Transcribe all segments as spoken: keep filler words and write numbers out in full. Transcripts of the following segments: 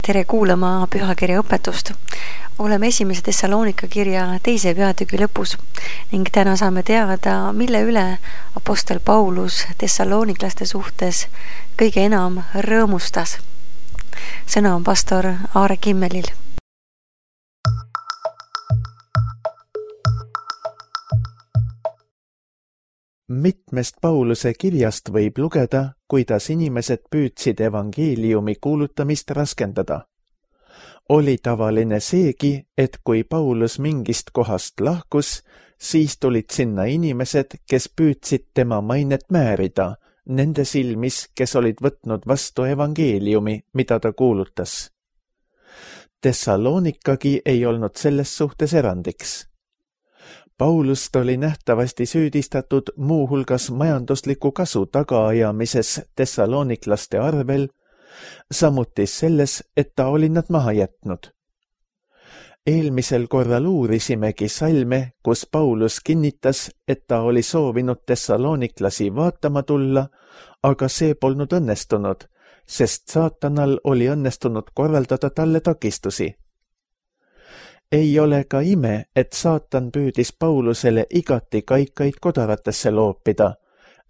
tere kuulama pühakirja õpetust. Oleme esimese Thessalonika kirja teise peatüki lõpus ning täna saame teada, mille üle apostel Paulus thessaloniklaste suhtes kõige enam rõõmustas. Sõna on pastor Aare Kimmelil. Mitmest Pauluse kirjast võib lugeda, kuidas inimesed püüdsid evangeeliumi kuulutamist raskendada. Oli tavaline seegi, et kui Paulus mingist kohast lahkus, siis tulid sinna inimesed, kes püüdsid tema mainet määrida, nende silmis, kes olid võtnud vastu evangeeliumi, mida ta kuulutas. Thessalonikagi ei olnud selles suhtes erandiks. Paulust oli nähtavasti süüdistatud muuhulgas majandusliku kasu tagaajamises thessaloniklaste arvel, samuti selles, et ta oli nad maha jätnud. Eelmisel korral uurisimegi salme, kus Paulus kinnitas, et ta oli soovinud thessaloniklasi vaatama tulla, aga see polnud õnnestunud, sest saatanal oli õnnestunud korraldada talle takistusi. Ei ole ka ime, et saatan püüdis Paulusele igati kaikaid kodaratesse loopida,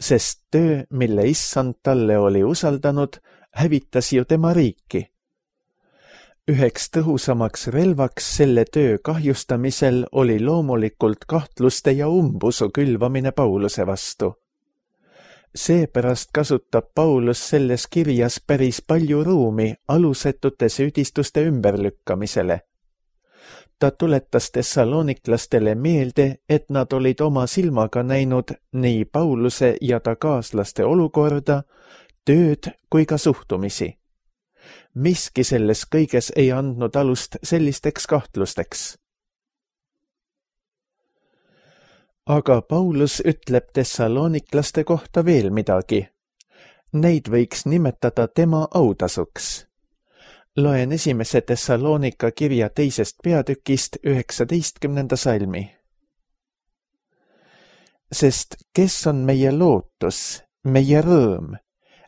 sest töö, mille issand talle oli usaldanud, hävitas ju tema riiki. Üheks tõhusamaks relvaks selle töö kahjustamisel oli loomulikult kahtluste ja umbusu külvamine Pauluse vastu. Seepärast kasutab Paulus selles kirjas päris palju ruumi alusetute süüdistuste ümberlükkamisele. Ta tuletas thessaloniklastele meelde, et nad olid oma silmaga näinud nii Pauluse ja ta kaaslaste olukorda, tööd kui ka suhtumisi. Miski selles kõiges ei andnud alust sellisteks kahtlusteks. Aga Paulus ütleb thessaloniklaste kohta veel midagi. Neid võiks nimetada tema autasuks. Loen esimese Thessalonika kirja teisest peatükist üheksateistkümnenda salmi. Sest kes on meie lootus, meie rõõm,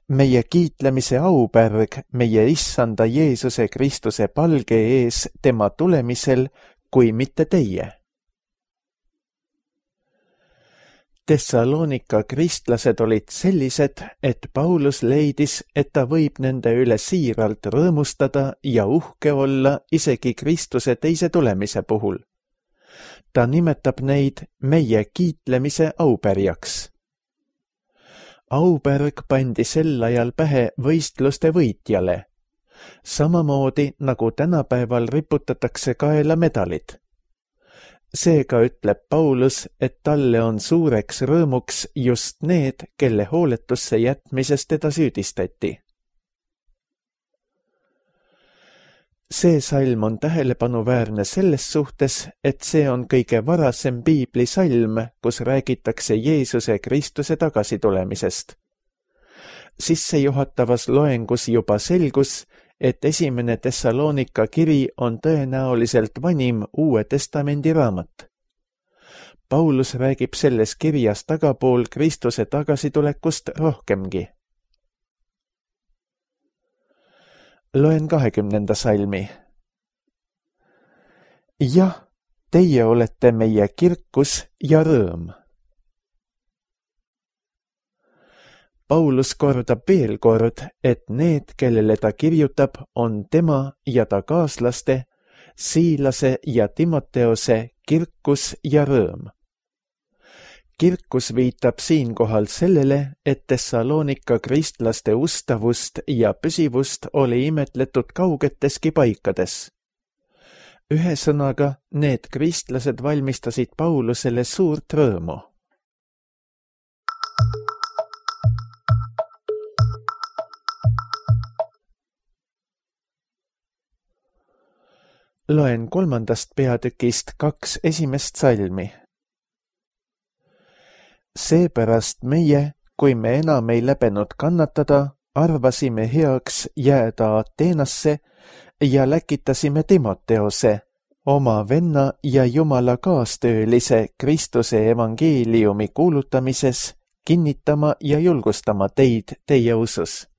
meie kiitlemise aupärg, meie issanda Jeesuse Kristuse palge ees tema tulemisel, kui mitte teie? Thessalonika kristlased olid sellised, et Paulus leidis, et ta võib nende üle siiralt rõõmustada ja uhke olla isegi Kristuse teise tulemise puhul. Ta nimetab neid meie kiitlemise aupärjaks. Aupärg pandi sel ajal pähe võistluste võitjale, samamoodi nagu tänapäeval riputatakse kaela medalid. Seega ütleb Paulus, et talle on suureks rõõmuks just need, kelle hooletusse jätmises teda süüdistati. See salm on tähelepanuväärne selles suhtes, et see on kõige varasem piiblisalm, kus räägitakse Jeesuse Kristuse tagasitulemisest. Sissejuhatavas loengus juba selgus, et esimene Thessalonika kiri on tõenäoliselt vanim Uue Testamendi raamat. Paulus räägib selles kirjas tagapool Kristuse tagasitulekust rohkemgi. Loen kahekümnenda salmi. Jah, teie olete meie kirkus ja rõõm. Paulus kordab veel kord, et need, kellele ta kirjutab, on tema ja ta kaaslaste, Siilase ja Timoteose kirkus ja rõõm. Kirkus viitab siinkohal sellele, et Thessalonika kristlaste ustavust ja püsivust oli imetletud kaugeteski paikades. Ühesõnaga, need kristlased valmistasid Paulusele suurt rõõmu. Loen kolmandast peatükist kaks esimest salmi. Seepärast meie, kui me enam ei läbenud kannatada, arvasime heaks jääda Ateenasse ja läkitasime Timoteose, oma venna ja Jumala kaastöölise Kristuse evangeeliumi kuulutamises, kinnitama ja julgustama teid teie usus.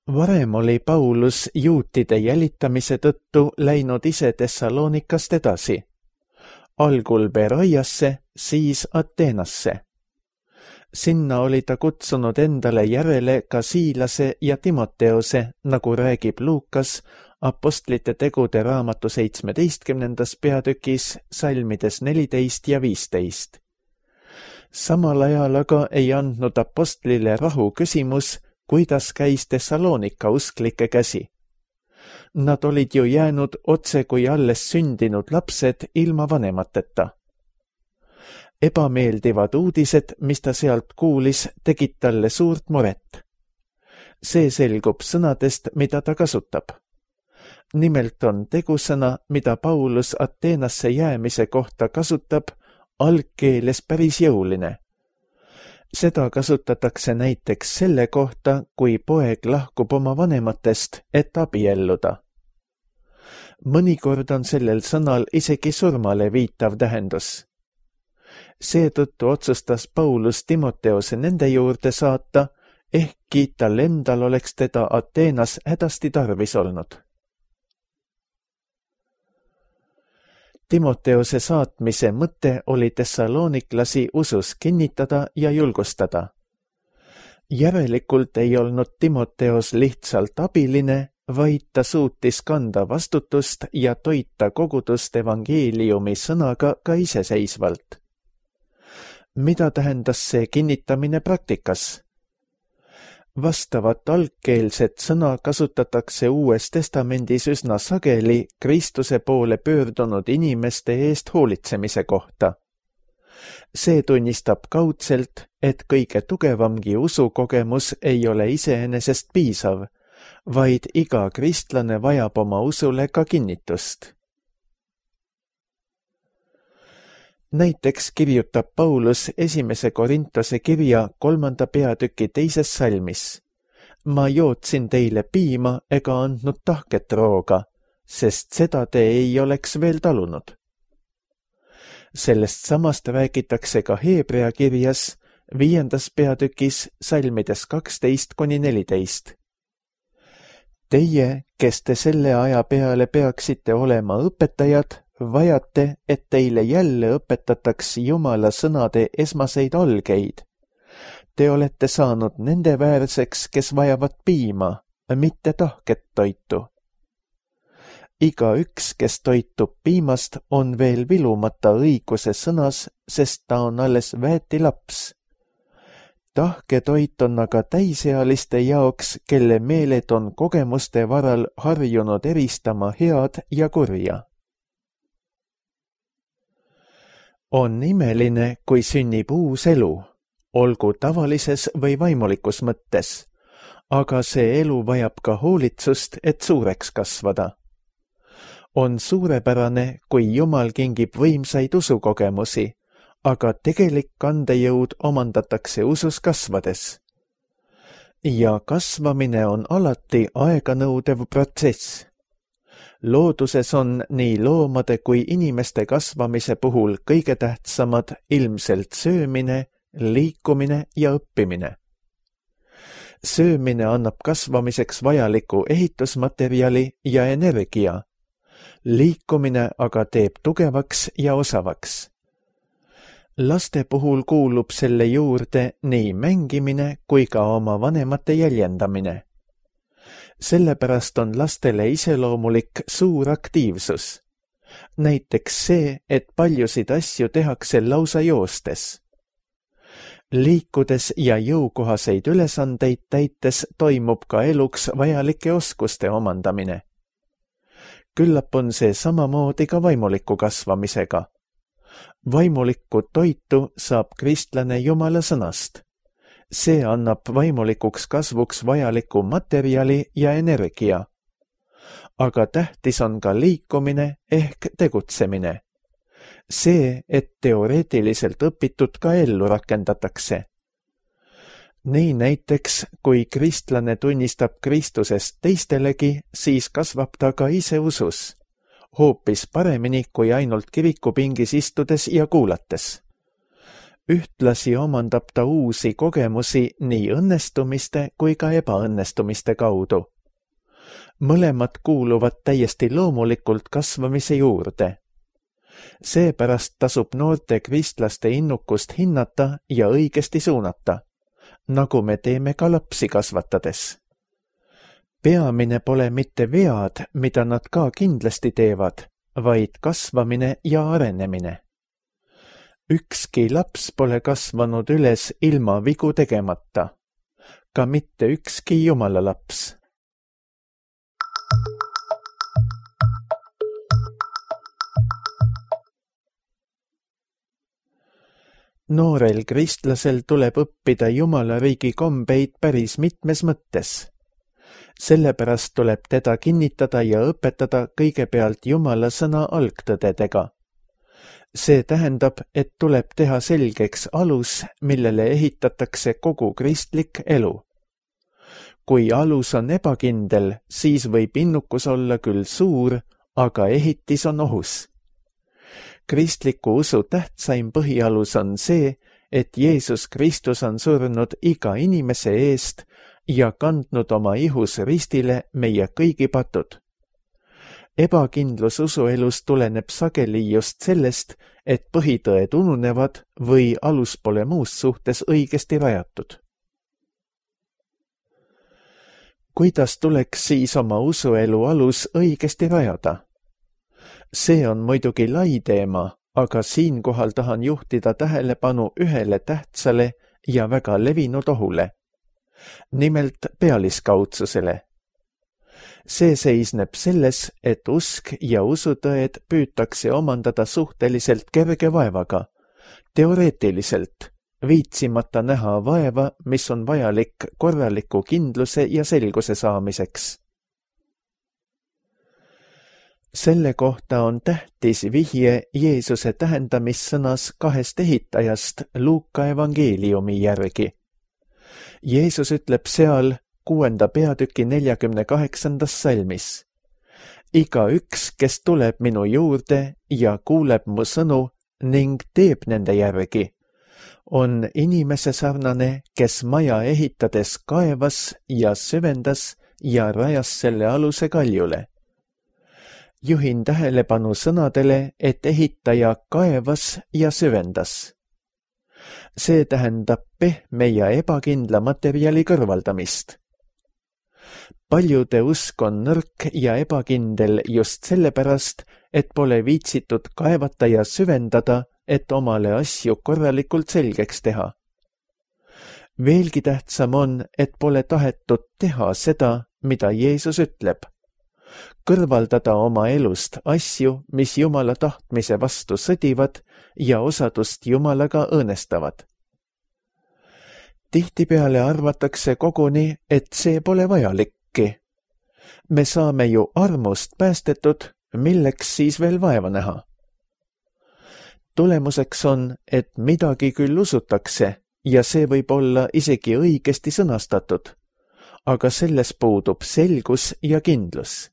Varem oli Paulus juutide jälitamise tõttu läinud ise Thessalonikast edasi, algul Beroiasse, siis Ateenasse. Sinna oli ta kutsunud endale järele ka Siilase ja Timoteose, nagu räägib Luukas Apostlite tegude raamatu seitsmeteistkümnendas peatükis salmides neliteist ja viisteist. Samal ajal aga ei andnud apostlile rahu küsimus, kuidas käis Thessalonika usklike käsi. Nad olid ju jäänud otse kui alles sündinud lapsed ilma vanemateta. Ebameeldivad uudised, mis ta sealt kuulis, tegid talle suurt muret. See selgub sõnadest, mida ta kasutab. Nimelt on tegusõna, mida Paulus Ateenasse jäämise kohta kasutab, algkeeles päris jõuline. Seda kasutatakse näiteks selle kohta, kui poeg lahkub oma vanematest, et abielluda. Mõnikord on sellel sõnal isegi surmale viitav tähendus. Seetõttu otsustas Paulus Timoteose nende juurde saata, ehkki tal endal oleks teda Ateenas hädasti tarvis olnud. Timoteose saatmise mõte oli thessaloniklasi usus kinnitada ja julgustada. Järelikult ei olnud Timoteos lihtsalt abiline, vaid ta suutis kanda vastutust ja toita kogudust evangeeliumi sõnaga ka iseseisvalt. Mida tähendas see kinnitamine praktikas? Vastavat algkeelset sõna kasutatakse Uues Testamendis üsna sageli Kristuse poole pöördunud inimeste eest hoolitsemise kohta. See tunnistab kaudselt, et kõige tugevamgi usukogemus ei ole iseenesest piisav, vaid iga kristlane vajab oma usule ka kinnitust. Näiteks kirjutab Paulus esimese Korintose kirja kolmanda peatüki teises salmis. Ma jootsin teile piima ega andnud tahket rooga, sest seda te ei oleks veel talunud. Sellest samast räägitakse ka Heebrea kirjas viiendas peatükis salmides kaksteist kuni neliteist. Teie, kes te selle aja peale peaksite olema õpetajad, vajate, et teile jälle õpetataks Jumala sõnade esmaseid algeid. Te olete saanud nende väärseks, kes vajavad piima, mitte tahket toitu. Iga üks, kes toitub piimast, on veel vilumata õiguse sõnas, sest ta on alles väeti laps. Tahketoit on aga täisealiste jaoks, kelle meeled on kogemuste varal harjunud eristama head ja kurja. On imeline, kui sünnib uus elu, olgu tavalises või vaimulikus mõttes, aga see elu vajab ka hoolitsust, et suureks kasvada. On suurepärane, kui Jumal kingib võimsaid usukogemusi, aga tegelik kandejõud omandatakse usus kasvades. Ja kasvamine on alati aeganõudev protsess. Looduses on nii loomade kui inimeste kasvamise puhul kõige tähtsamad ilmselt söömine, liikumine ja õppimine. Söömine annab kasvamiseks vajaliku ehitusmaterjali ja energia. Liikumine aga teeb tugevaks ja osavaks. Laste puhul kuulub selle juurde nii mängimine kui ka oma vanemate jäljendamine. Sellepärast on lastele iseloomulik suur aktiivsus. Näiteks see, et paljusid asju tehakse lausa joostes. Liikudes ja jõukohaseid ülesandeid täites toimub ka eluks vajalike oskuste omandamine. Küllap on see samamoodi ka vaimuliku kasvamisega. Vaimulikku toitu saab kristlane Jumala sõnast. See annab vaimulikuks kasvuks vajaliku materjali ja energia. Aga tähtis on ka liikumine ehk tegutsemine. See, et teoreetiliselt õpitud ka ellu rakendatakse. Nii näiteks, kui kristlane tunnistab Kristusest teistelegi, siis kasvab ta ka ise usus. Hoopis paremini kui ainult kirikupingis istudes ja kuulates. Ühtlasi omandab ta uusi kogemusi nii õnnestumiste kui ka ebaõnnestumiste kaudu. Mõlemad kuuluvad täiesti loomulikult kasvamise juurde. Seepärast tasub noorte kristlaste innukust hinnata ja õigesti suunata, nagu me teeme ka lapsi kasvatades. Peamine pole mitte vead, mida nad ka kindlasti teevad, vaid kasvamine ja arenemine. Ükski laps pole kasvanud üles ilma vigu tegemata, ka mitte ükski Jumala laps. Noorel kristlasel tuleb õppida Jumala riigi kombeid päris mitmes mõttes. Sellepärast tuleb teda kinnitada ja õpetada kõigepealt Jumala sõna algtõdedega. See tähendab, et tuleb teha selgeks alus, millele ehitatakse kogu kristlik elu. Kui alus on ebakindel, siis võib innukus olla küll suur, aga ehitis on ohus. Kristliku usu tähtsaim põhialus on see, et Jeesus Kristus on surnud iga inimese eest ja kandnud oma ihus ristile meie kõigi patud. Ebakindlus usuelus tuleneb sageli just sellest, et põhitõed ununevad või alus pole muus suhtes õigesti rajatud. Kuidas tuleks siis oma usuelu alus õigesti rajada? See on muidugi lai teema, aga siinkohal tahan juhtida tähelepanu ühele tähtsale ja väga levinud ohule. Nimelt pealiskaudsusele. See seisneb selles, et usk ja usutõed püütakse omandada suhteliselt kerge vaevaga, teoreetiliselt, viitsimata näha vaeva, mis on vajalik korraliku kindluse ja selguse saamiseks. Selle kohta on tähtis vihje Jeesuse tähendamissõnas kahest ehitajast Luuka evangeeliumi järgi. Jeesus ütleb seal kuuenda peatüki neljakümne kaheksandas salmis. Iga üks, kes tuleb minu juurde ja kuuleb mu sõnu ning teeb nende järgi, on inimese sarnane, kes maja ehitades kaevas ja süvendas ja rajas selle aluse kaljule. Juhin tähelepanu sõnadele, et ehitaja kaevas ja süvendas. See tähendab pehme ja ebakindla materjali kõrvaldamist. Paljude usk on nõrk ja ebakindel just sellepärast, et pole viitsitud kaevata ja süvendada, et omale asju korralikult selgeks teha. Veelgi tähtsam on, et pole tahetud teha seda, mida Jeesus ütleb. Kõrvaldada oma elust asju, mis Jumala tahtmise vastu sõdivad ja osadust Jumalaga õõnestavad. Tihtipeale arvatakse koguni, et see pole vajalikki. Me saame ju armust päästetud, milleks siis veel vaeva näha. Tulemuseks on, et midagi küll usutakse ja see võib olla isegi õigesti sõnastatud, aga selles puudub selgus ja kindlus.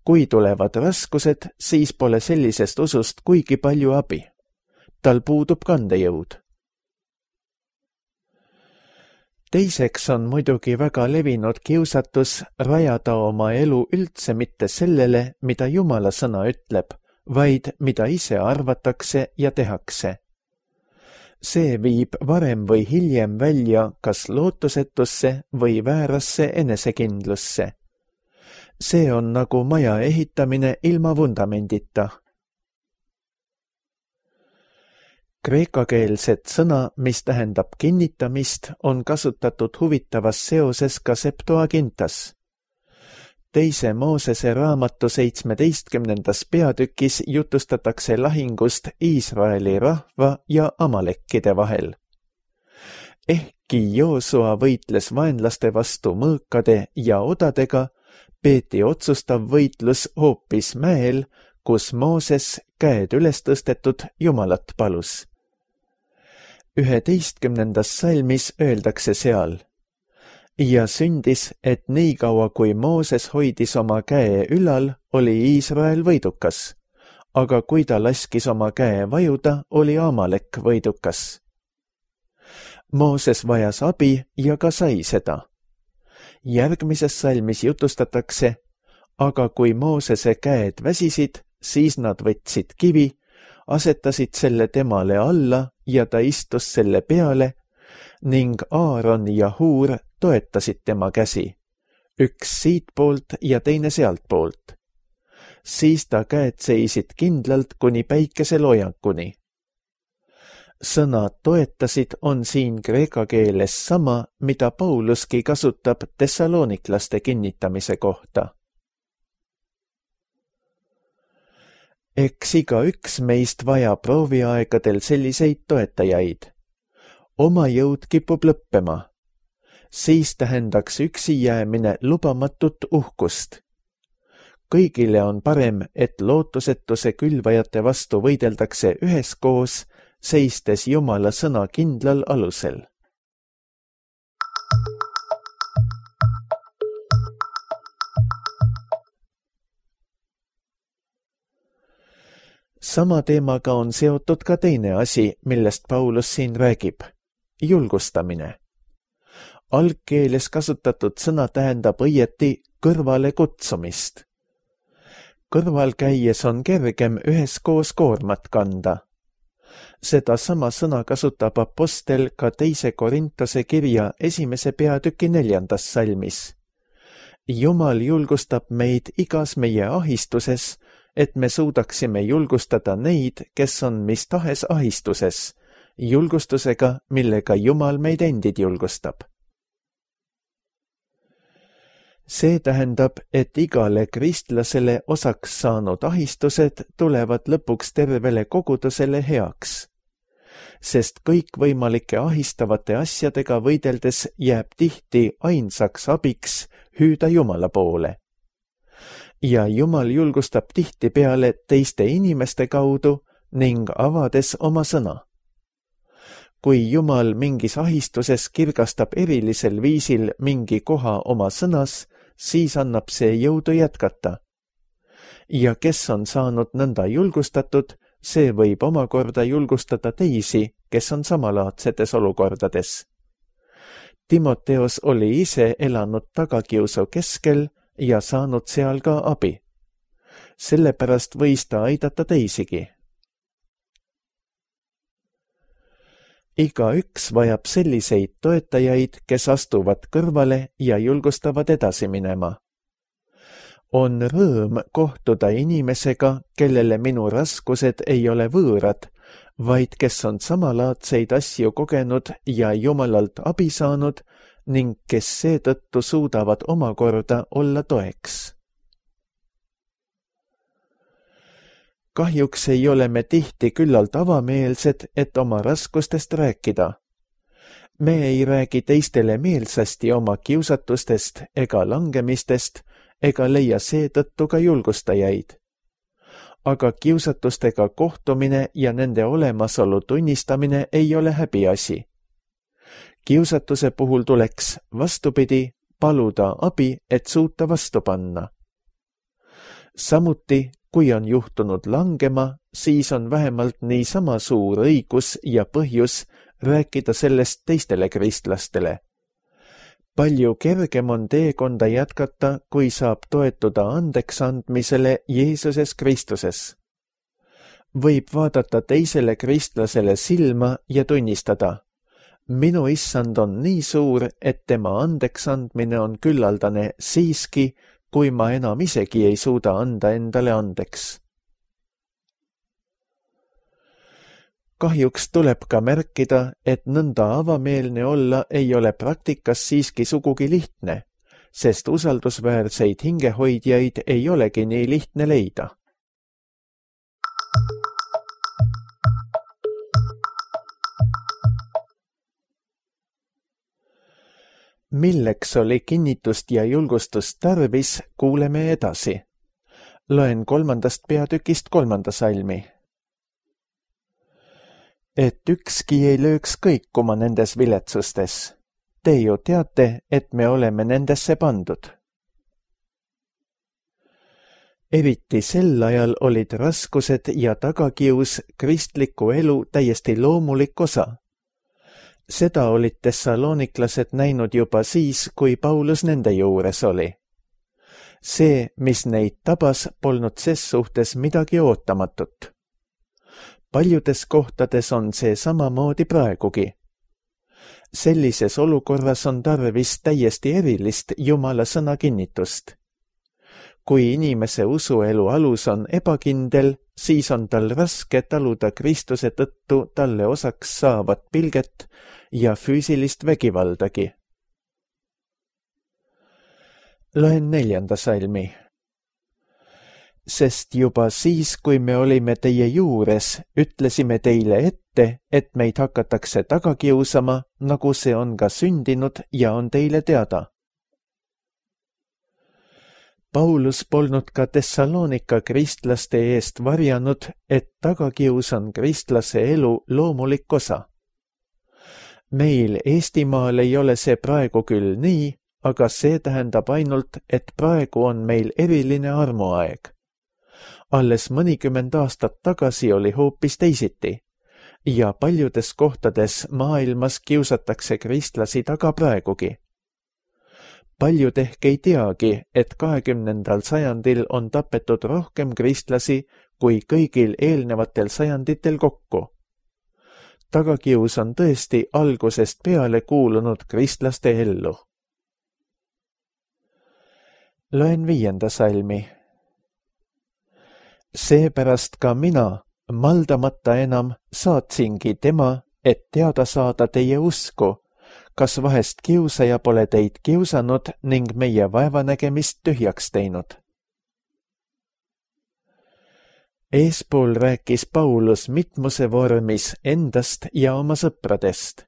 Kui tulevad raskused, siis pole sellisest usust kuigi palju abi. Tal puudub kandejõud. Teiseks on muidugi väga levinud kiusatus rajada oma elu üldse mitte sellele, mida Jumala sõna ütleb, vaid mida ise arvatakse ja tehakse. See viib varem või hiljem välja kas lootusetusse või väärasse enesekindlusse. See on nagu maja ehitamine ilma vundamendita. Kreekakeelset sõna, mis tähendab kinnitamist, on kasutatud huvitavas seoses ka Septuagintas. Teise Moosese raamatu seitsmeteistkümnendas peatükis jutustatakse lahingust Iisraeli rahva ja amalekkide vahel. Ehkki Joosua võitles vaenlaste vastu mõõkade ja odadega, peeti otsustav võitlus hoopis mäel, kus Mooses käed üles tõstetud Jumalat palus. Üheteistkümnendas salmis öeldakse seal: ja sündis, et nii kaua kui Mooses hoidis oma käe ülal, oli Iisrael võidukas, aga kui ta laskis oma käe vajuda, oli Amalek võidukas. Mooses vajas abi ja ka sai seda. Järgmises salmis jutustatakse, aga kui Moosese käed väsisid, siis nad võtsid kivi, asetasid selle temale alla ja ta istus selle peale ning Aaron ja Huur toetasid tema käsi, üks siitpoolt ja teine sealtpoolt. Siis ta käed seisid kindlalt kuni päikeseloojankuni. Sõna toetasid on siin kreeka keeles sama, mida Pauluski kasutab tessalooniklaste kinnitamise kohta. Eks iga üks meist vaja prooviaegadel selliseid toetajaid. Oma jõud kipub lõppema. Siis tähendaks üksi jäämine lubamatut uhkust. Kõigile on parem, et lootusetuse külvajate vastu võideldakse üheskoos, seistes Jumala sõna kindlal alusel. Sama teemaga on seotud ka teine asi, millest Paulus siin räägib. Julgustamine. Algkeeles kasutatud sõna tähendab õieti kõrvale kutsumist. Kõrval käies on kergem üheskoos koormat kanda. Seda sama sõna kasutab apostel ka teise Korintuse kirja esimese peatüki neljandas salmis. Jumal julgustab meid igas meie ahistuses, et me suudaksime julgustada neid, kes on mis tahes ahistuses, julgustusega, millega Jumal meid endid julgustab. See tähendab, et igale kristlasele osaks saanud ahistused tulevad lõpuks tervele kogudusele heaks, sest kõikvõimalike ahistavate asjadega võideldes jääb tihti ainsaks abiks hüüda Jumala poole. Ja Jumal julgustab tihtipeale teiste inimeste kaudu ning avades oma sõna. Kui Jumal mingis ahistuses kirgastab erilisel viisil mingi koha oma sõnas, siis annab see jõudu jätkata. Ja kes on saanud nõnda julgustatud, see võib omakorda julgustada teisi, kes on samalaadsetes olukordades. Timoteos oli ise elanud tagakiusu keskel ja saanud seal ka abi. Sellepärast võis ta aidata teisigi. Iga üks vajab selliseid toetajaid, kes astuvad kõrvale ja julgustavad edasi minema. On rõõm kohtuda inimesega, kellele minu raskused ei ole võõrad, vaid kes on samalaadseid asju kogenud ja Jumalalt abi saanud ning kes seetõttu suudavad omakorda olla toeks. Kahjuks ei ole me tihti küllalt avameelsed, et oma raskustest rääkida. Me ei räägi teistele meelsasti oma kiusatustest ega langemistest ega leia seetõttu ka julgustajaid. Aga kiusatustega kohtumine ja nende olemasolu tunnistamine ei ole häbiasi. Kiusatuse puhul tuleks vastupidi paluda abi, et suuta vastu panna. Samuti, kui on juhtunud langema, siis on vähemalt niisama suur õigus ja põhjus rääkida sellest teistele kristlastele. Palju kergem on teekonda jätkata, kui saab toetuda andeks andmisele Jeesuses Kristuses. Võib vaadata teisele kristlasele silma ja tunnistada, minu issand on nii suur, et tema andeks andmine on küllaldane siiski, kui ma enam isegi ei suuda anda endale andeks. Kahjuks tuleb ka märkida, et nõnda avameelne olla ei ole praktikas siiski sugugi lihtne, sest usaldusväärseid hingehoidjaid ei olegi nii lihtne leida. Milleks oli kinnitust ja julgustust tarvis, kuuleme edasi. Loen kolmandast peatükist kolmanda salmi. Et ükski ei lööks kõikuma nendes viletsustes. Te ju teate, et me oleme nendesse pandud. eriti sel ajal olid raskused ja tagakius kristliku elu täiesti loomulik osa. Seda olid tessalooniklased näinud juba siis, kui Paulus nende juures oli. See, mis neid tabas, polnud ses suhtes midagi ootamatut. Paljudes kohtades on see samamoodi praegugi. Sellises olukorras on tarvis täiesti erilist Jumala sõna kinnitust. Kui inimese usuelu alus on ebakindel, siis on tal raske taluda Kristuse tõttu talle osaks saavat pilget ja füüsilist vägivaldagi. Loen neljanda salmi. Sest juba siis, kui me olime teie juures, ütlesime teile ette, et meid hakatakse taga kiusama, nagu see on ka sündinud ja on teile teada. Paulus polnud ka Tessaloonika kristlaste eest varjanud, et tagakius on kristlase elu loomulik osa. Meil Eestimaal ei ole see praegu küll nii, aga see tähendab ainult, et praegu on meil eriline armuaeg. Alles mõnikümmend aastat tagasi oli hoopis teisiti ja paljudes kohtades maailmas kiusatakse kristlasi taga praegugi. Paljud ehk ei teagi, et kahekümnendal sajandil on tapetud rohkem kristlasi kui kõigil eelnevatel sajanditel kokku. Tagakius on tõesti algusest peale kuulunud kristlaste ellu. Loen viienda salmi. Seepärast ka mina, maldamata enam, saatsingi tema, et teada saada teie usku, kas vahest kiusaja pole teid kiusanud ning meie vaevanägemist tühjaks teinud. Eespool rääkis Paulus mitmuse vormis endast ja oma sõpradest.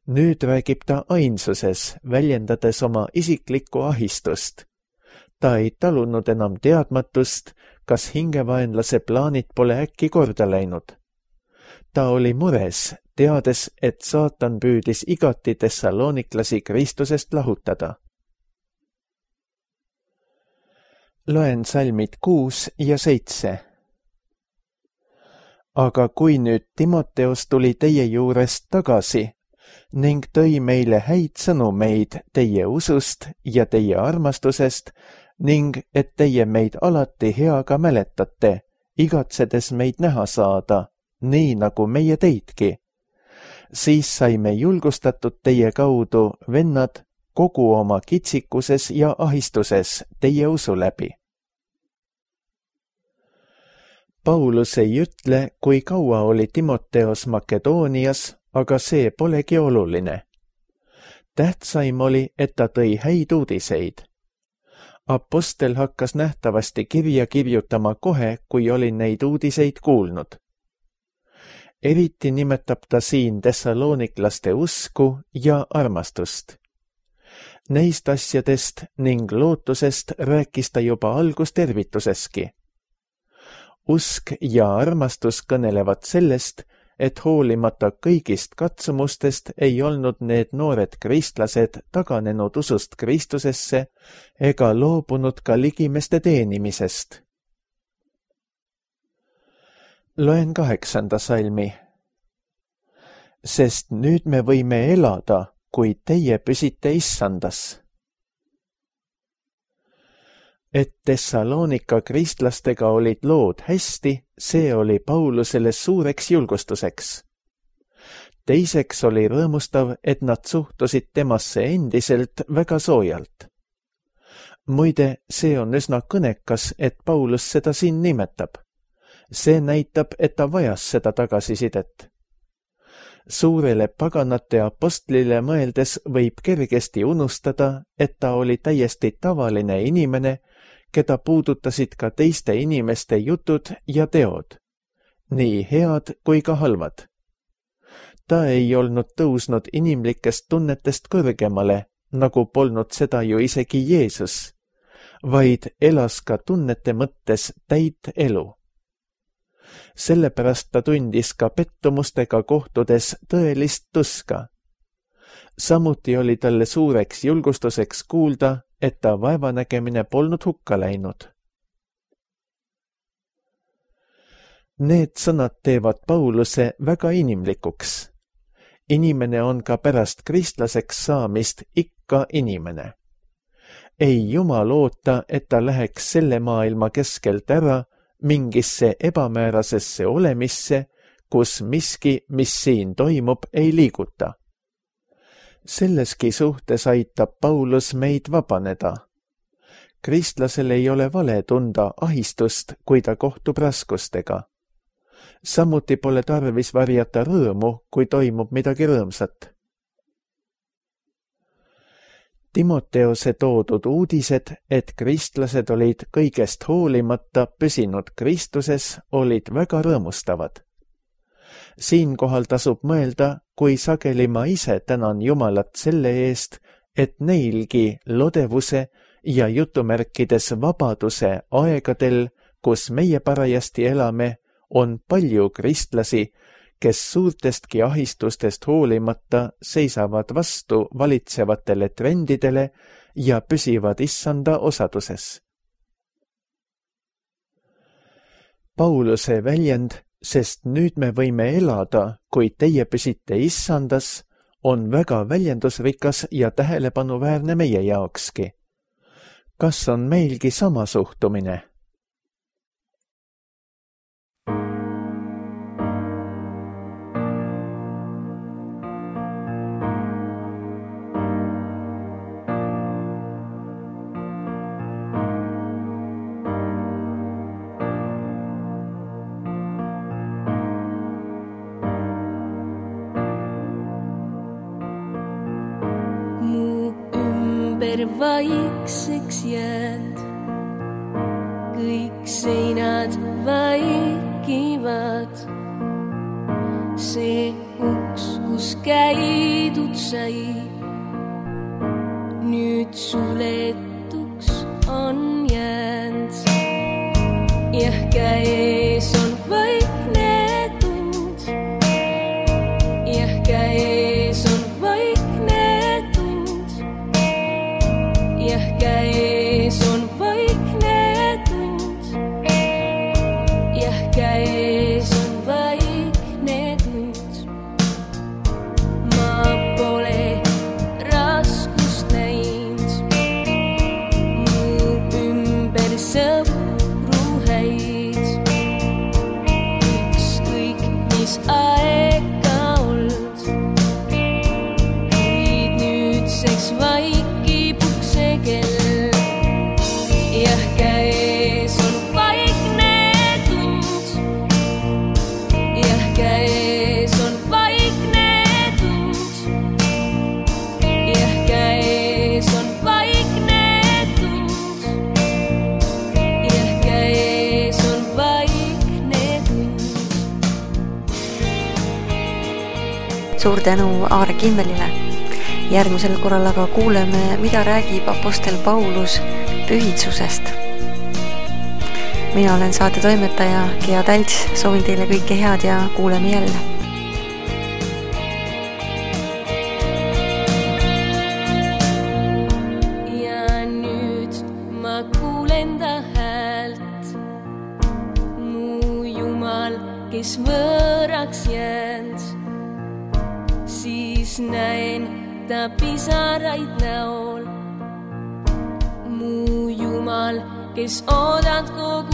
Nüüd räägib ta ainsuses, väljendades oma isiklikku ahistust. Ta ei talunud enam teadmatust, kas hingevaenlase plaanid pole äkki korda läinud. Ta oli mures, teades, et saatan püüdis igati tessalooniklasi Kristusest lahutada. Loen salmid kuus ja seitse. Aga kui nüüd Timoteos tuli teie juurest tagasi ning tõi meile häid sõnumeid teie usust ja teie armastusest ning et teie meid alati heaga mäletate, igatsedes meid näha saada, nii nagu meie teidki, siis saime julgustatud teie kaudu, vennad, kogu oma kitsikuses ja ahistuses teie usu läbi. Paulus ei ütle, kui kaua oli Timoteos Makedoonias, aga see polegi oluline. Tähtsaim oli, et ta tõi häid uudiseid. Apostel hakkas nähtavasti kirja kirjutama kohe, kui oli neid uudiseid kuulnud. Eriti nimetab ta siin tessalooniklaste usku ja armastust. Neist asjadest ning lootusest rääkis ta juba algustervituseski. Usk ja armastus kõnelevad sellest, et hoolimata kõigist katsumustest ei olnud need noored kristlased taganenud usust Kristusesse ega loobunud ka ligimeste teenimisest. Loen kaheksanda salmi. Sest nüüd me võime elada, kui teie püsite issandas. Et Tessaloonika kristlastega olid lood hästi, see oli Paulusele suureks julgustuseks. Teiseks oli rõõmustav, et nad suhtusid temasse endiselt väga soojalt. Muide, see on üsna kõnekas, et Paulus seda siin nimetab. See näitab, et ta vajas seda tagasisidet. Suurele paganate apostlile mõeldes võib kergesti unustada, et ta oli täiesti tavaline inimene, keda puudutasid ka teiste inimeste jutud ja teod, nii head kui ka halvad. Ta ei olnud tõusnud inimlikest tunnetest kõrgemale, nagu polnud seda ju isegi Jeesus, vaid elas ka tunnete mõttes täit elu. Sellepärast ta tundis ka pettumustega kohtudes tõelist tuska. Samuti oli talle suureks julgustuseks kuulda, et ta vaevanägemine polnud hukka läinud. Need sõnad teevad Pauluse väga inimlikuks. Inimene on ka pärast kristlaseks saamist ikka inimene. Ei Jumal oota, et ta läheks selle maailma keskelt ära mingisse ebamäärasesse olemisse, kus miski, mis siin toimub, ei liiguta. Selleski suhtes aitab Paulus meid vabaneda. Kristlasel ei ole vale tunda ahistust, kui ta kohtub raskustega. Samuti pole tarvis varjata rõõmu, kui toimub midagi rõõmsat. Timoteose toodud uudised, et kristlased olid kõigest hoolimata püsinud Kristuses, olid väga rõõmustavad. Siinkohal tasub mõelda, kui sageli ma ise tänan Jumalat selle eest, et neilgi lodevuse ja jutumärkides vabaduse aegadel, kus meie parajasti elame, on palju kristlasi, kes suurtestki ahistustest hoolimata seisavad vastu valitsevatele trendidele ja püsivad issanda osaduses. Pauluse väljend, sest nüüd me võime elada, kui teie püsite issandas, on väga väljendusrikas ja tähelepanuväärne meie jaokski. Kas on meilgi sama suhtumine? Vaikseks jäänd, kõik seinad vaikivad. See uks, kus käidud sai, nüüd suletuks on jäänd. Jah, käes on vaikne tund, jah, käes on käes on vaikne tund, jah, käes on vaikne tund. Ma pole raskust näinud, mu ümber sõpru häid. Ükskõik, mis aega olnud, kuid nüüdseks vaikib kell. Jah, käes on vaikne tund, jah, käes on vaikne tund, jah, käes on vaikne tund, jah, käes on vaikne tund. Suur tänu Aare Kimmelile. Järgmisel korral aga kuuleme, mida räägib apostel Paulus pühitsusest. Mina olen saate toimetaja Gea Talts, soovin teile kõike head ja kuuleme jälle. Ja nüüd ma kuulen ta häält, mu Jumal, kes võõraks jäänd, siis näen ta pisaraid näol. Mu Jumal, kes oodad kogu